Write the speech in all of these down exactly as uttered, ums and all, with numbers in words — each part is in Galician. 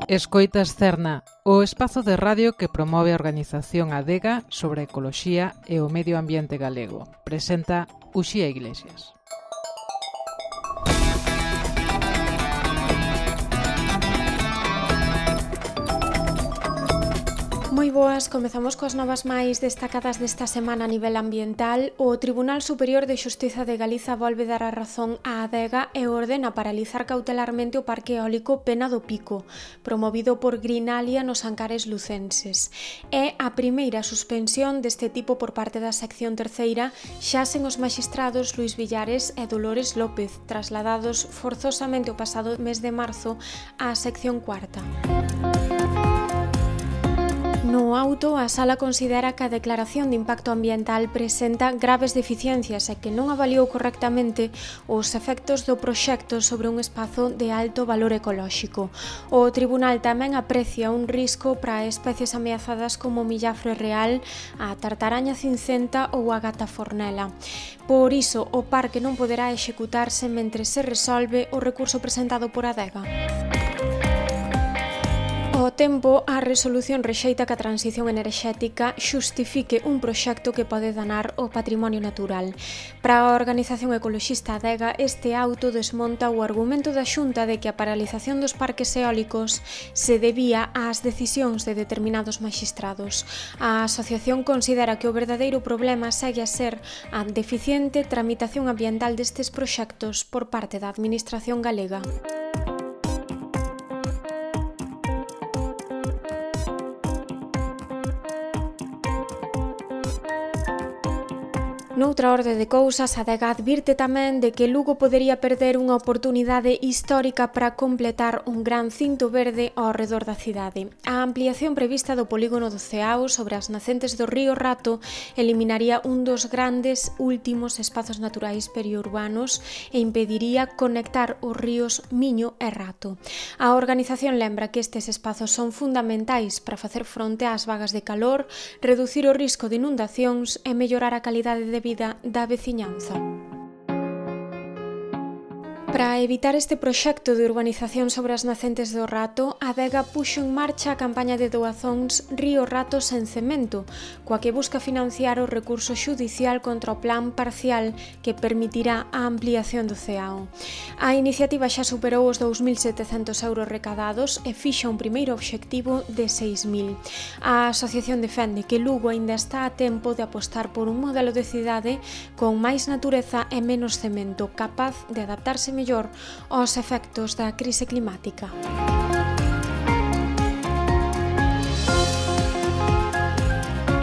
Escoitas Cerna, o espazo de radio que promove a organización Adega sobre a ecoloxía e o medio ambiente galego. Presenta Uxía Iglesias. Moi boas, comezamos coas novas máis destacadas desta semana a nivel ambiental. O Tribunal Superior de Xustiza de Galiza volve dar a razón á Adega e ordena paralizar cautelarmente o Parque Eólico Pena do Pico, promovido por Greenalia nos Ancares lucenses. É a primeira suspensión deste tipo por parte da sección terceira, xa sen os maxistrados Luís Villares e Dolores López, trasladados forzosamente o pasado mes de marzo á sección cuarta. No auto, a Sala considera que a declaración de impacto ambiental presenta graves deficiencias e que non avaliou correctamente os efectos do proxecto sobre un espazo de alto valor ecolóxico. O tribunal tamén aprecia un risco para especies ameazadas como o millafre real, a tartaraña cincenta ou a gata fornela. Por iso, o parque non poderá executarse mentre se resolve o recurso presentado por Adega. Ao tempo, a resolución rexeita que a transición enerxética xustifique un proxecto que pode danar o patrimonio natural. Para a organización ecoloxista Adega, este auto desmonta o argumento da Xunta de que a paralización dos parques eólicos se debía ás decisións de determinados maxistrados. A asociación considera que o verdadeiro problema segue a ser a deficiente tramitación ambiental destes proxectos por parte da Administración galega. Noutra orde de cousas, a Adega advirte tamén de que Lugo podería perder unha oportunidade histórica para completar un gran cinto verde ao redor da cidade. A ampliación prevista do polígono do Ceao sobre as nacentes do río Rato eliminaría un dos grandes últimos espazos naturais periurbanos e impediría conectar os ríos Miño e Rato. A organización lembra que estes espazos son fundamentais para facer fronte ás vagas de calor, reducir o risco de inundacións e mellorar a calidade de vida da veciñanza. Para evitar este proxecto de urbanización sobre as nacentes do Rato, a Adega puxo en marcha a campaña de doazóns Río Rato sen cemento, coa que busca financiar o recurso xudicial contra o plan parcial que permitirá a ampliación do Ceao. A iniciativa xa superou os dous mil setecentos euros recadados e fixa un primeiro obxectivo de seis mil. A asociación defende que Lugo aínda está a tempo de apostar por un modelo de cidade con máis natureza e menos cemento, capaz de adaptarse mellor aos efectos da crise climática.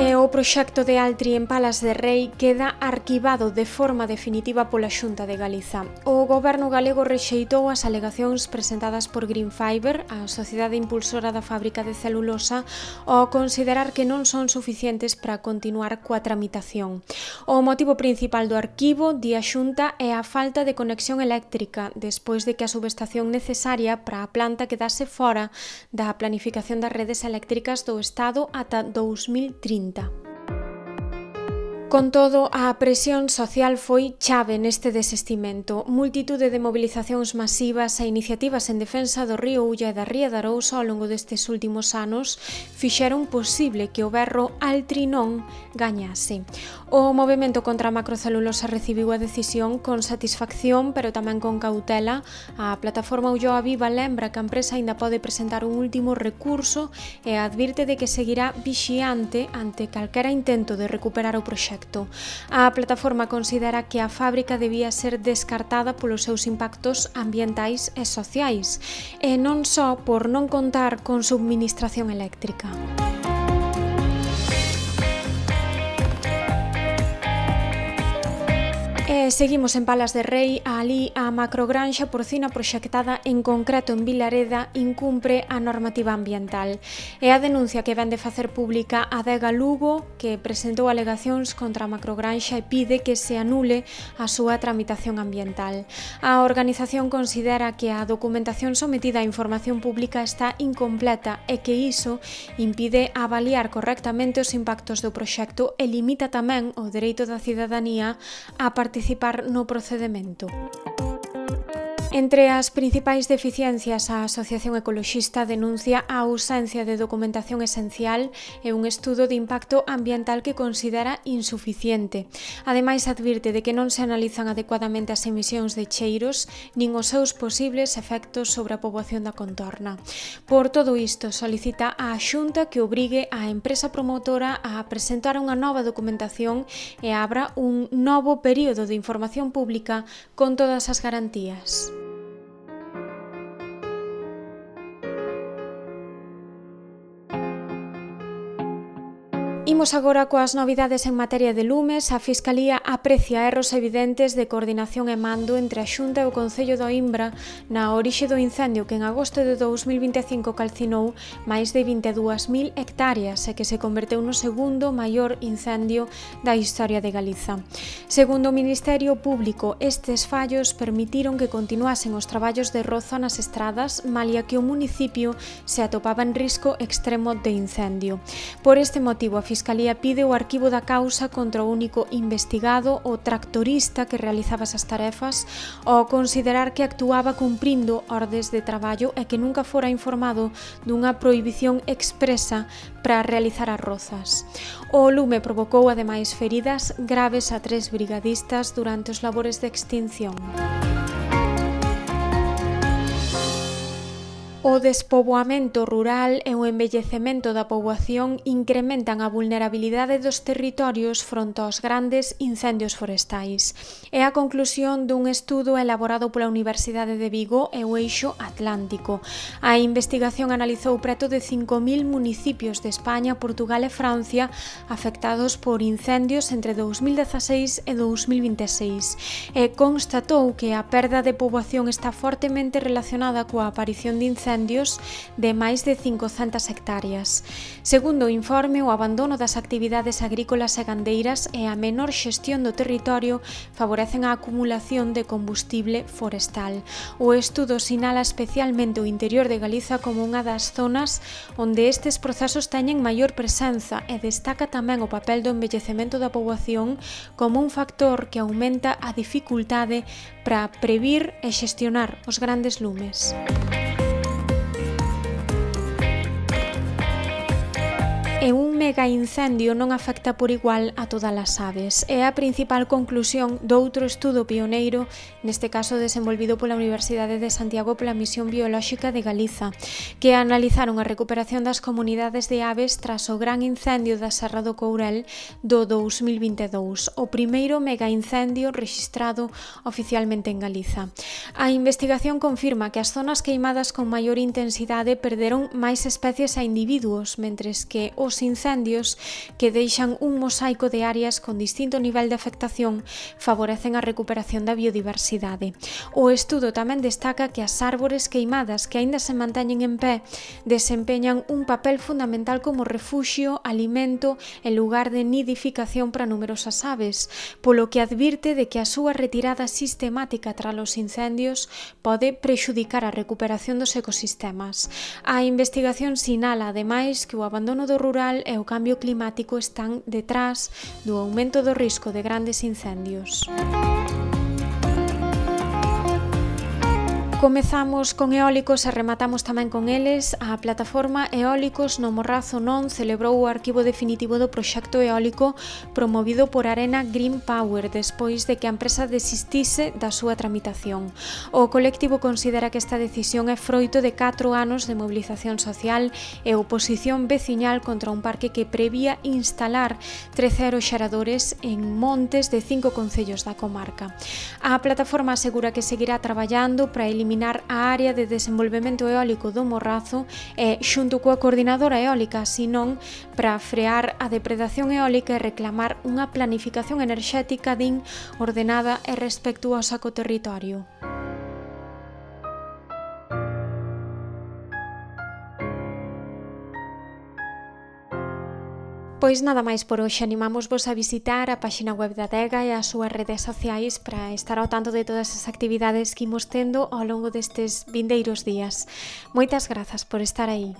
E o proxecto de Altri en Palas de Rei queda arquivado de forma definitiva pola Xunta de Galiza. O goberno galego rexeitou as alegacións presentadas por Green Fiber, a sociedade impulsora da fábrica de celulosa, ao considerar que non son suficientes para continuar coa tramitación. O motivo principal do arquivo, di a Xunta, é a falta de conexión eléctrica, despois de que a subestación necesaria para a planta quedase fora da planificación das redes eléctricas do Estado ata dous mil trinta. Con todo, a presión social foi chave neste desistimento. Multitude de mobilizacións masivas e iniciativas en defensa do río Ulla e da ría de Arousa ao longo destes últimos anos fixeron posible que o berro Altri non gañase. O movemento contra a macrocelulosa recibiu a decisión con satisfacción, pero tamén con cautela. A plataforma Ulloa Viva lembra que a empresa aínda pode presentar un último recurso e advirte de que seguirá vixiante ante calquera intento de recuperar o proxecto. A plataforma considera que a fábrica debía ser descartada polos seus impactos ambientais e sociais, e non só por non contar con subministración eléctrica. E seguimos en Palas de Rei. Alí a macrogranxa porcina proxectada en concreto en Vilareda incumpre a normativa ambiental. É a denuncia que vén de facer pública a Adega Lugo, que presentou alegacións contra a macrogranxa e pide que se anule a súa tramitación ambiental. A organización considera que a documentación sometida á información pública está incompleta e que iso impide avaliar correctamente os impactos do proxecto e limita tamén o dereito da cidadanía a participar no procedemento. Entre as principais deficiencias, a Asociación Ecoloxista denuncia a ausencia de documentación esencial e un estudo de impacto ambiental que considera insuficiente. Ademais, advirte de que non se analizan adecuadamente as emisións de cheiros nin os seus posibles efectos sobre a poboación da contorna. Por todo isto, solicita á Xunta que obrigue á empresa promotora a presentar unha nova documentación e abra un novo período de información pública con todas as garantías. Imos agora coas novidades en materia de lumes. A Fiscalía aprecia erros evidentes de coordinación e mando entre a Xunta e o Concello de Oímbra na orixe do incendio que en agosto de dous mil vinte e cinco calcinou máis de vinte e dúas mil hectáreas e que se converteu no segundo maior incendio da historia de Galiza. Segundo o Ministerio Público, estes fallos permitiron que continuasen os traballos de roza nas estradas, malia que o municipio se atopaba en risco extremo de incendio. Por este motivo, a Fiscalía Fiscalía pide o arquivo da causa contra o único investigado, o tractorista que realizaba esas tarefas, ao considerar que actuaba cumprindo ordes de traballo e que nunca fora informado dunha prohibición expresa para realizar as rozas. O lume provocou ademais feridas graves a tres brigadistas durante os labores de extinción. O despoboamento rural e o envellecemento da poboación incrementan a vulnerabilidade dos territorios fronte aos grandes incendios forestais. É a conclusión dun estudo elaborado pola Universidade de Vigo e o Eixo Atlántico. A investigación analizou preto de cinco mil municipios de España, Portugal e Francia afectados por incendios entre dous mil dezaseis e dous mil vinte e seis e constatou que a perda de poboación está fortemente relacionada coa aparición de incendios de máis de cincocentas hectáreas. Segundo o informe, o abandono das actividades agrícolas e gandeiras e a menor xestión do territorio favorecen a acumulación de combustible forestal. O estudo sinala especialmente o interior de Galiza como unha das zonas onde estes procesos teñen maior presenza e destaca tamén o papel do envellecemento da poboación como un factor que aumenta a dificultade para previr e xestionar os grandes lumes. E un mega incendio non afecta por igual a todas as aves. É a principal conclusión doutro estudo pioneiro, neste caso desenvolvido pola Universidade de Santiago pola Misión Biolóxica de Galiza, que analizaron a recuperación das comunidades de aves tras o gran incendio da Serra do Courel do dous mil vinte e dous, o primeiro mega incendio rexistrado oficialmente en Galiza. A investigación confirma que as zonas queimadas con maior intensidade perderon máis especies a individuos, mentres que os Os incendios, que deixan un mosaico de áreas con distinto nivel de afectación, favorecen a recuperación da biodiversidade. O estudo tamén destaca que as árbores queimadas que aínda se manteñen en pé desempeñan un papel fundamental como refuxio, alimento e lugar de nidificación para numerosas aves, polo que advirte de que a súa retirada sistemática tras os incendios pode prexudicar a recuperación dos ecosistemas. A investigación sinala, ademais, que o abandono do rural e o cambio climático están detrás do aumento do risco de grandes incendios. Comezamos con eólicos e rematamos tamén con eles. A plataforma Eólicos no Morrazo non celebrou o arquivo definitivo do proxecto eólico promovido por Arena Green Power despois de que a empresa desistise da súa tramitación. O colectivo considera que esta decisión é froito de catro anos de mobilización social e oposición veciñal contra un parque que prevía instalar trece aeroxeradores en montes de cinco concellos da comarca. A plataforma asegura que seguirá traballando para eliminar a área de desenvolvemento eólico do Morrazo e, xunto coa coordinadora eólica, senón para frear a depredación eólica e reclamar unha planificación enerxética din ordenada e respectuosa co territorio. Pois nada máis por hoxe, animámosvos a visitar a páxina web da Adega e as súas redes sociais para estar ao tanto de todas as actividades que imos tendo ao longo destes vindeiros días. Moitas grazas por estar aí.